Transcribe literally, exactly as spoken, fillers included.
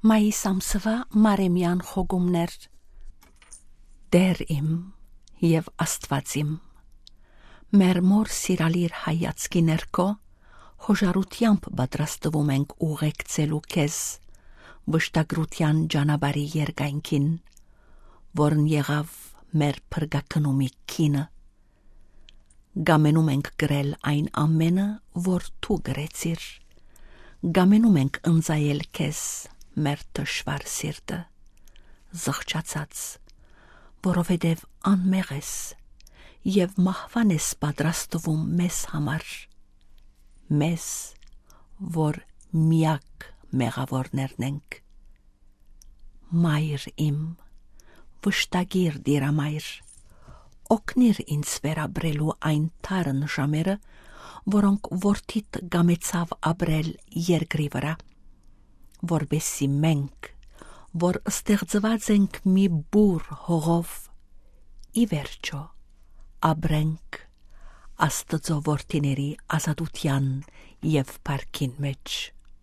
Մայիս ամսուայ մարեմեան խոգումներ։ Տէր իմ եւ Աստուած իմ, մեր մօր սիրալիր հայացքի ներքո, հոժարութեամբ պատրաստվում ենք ուղեկցելու քեզ վշտագրութեան ճանապարհի երկայնքին, որն եղաւ մեր փրկագնումի գինը։ Կամենում ենք կրել այն ամենը, որ դու կրեցիր։ Կամենում ենք ընծայել քեզ, մեր թշվառ սիրտը, զղջացած, որովհետեւ անմեղ ես եւ մահուան ես պատրաստվում մեզ համար, մեզ, որ միակ մեղաւորներն ենք։ Մայր իմ, վշտագիր Տիրամայր, օգնիր ինձ վերապրելու այն դառն ժամերը, որոնք որդիդ կամեցաւ ապրել երկրի վրայ, որպեսզի մենք, որ ստեղծուած ենք մի բուռ հողով, ի վերջոյ ապրենք Աստուծոյ որդիների ազատութեան եւ փառքին մէջ։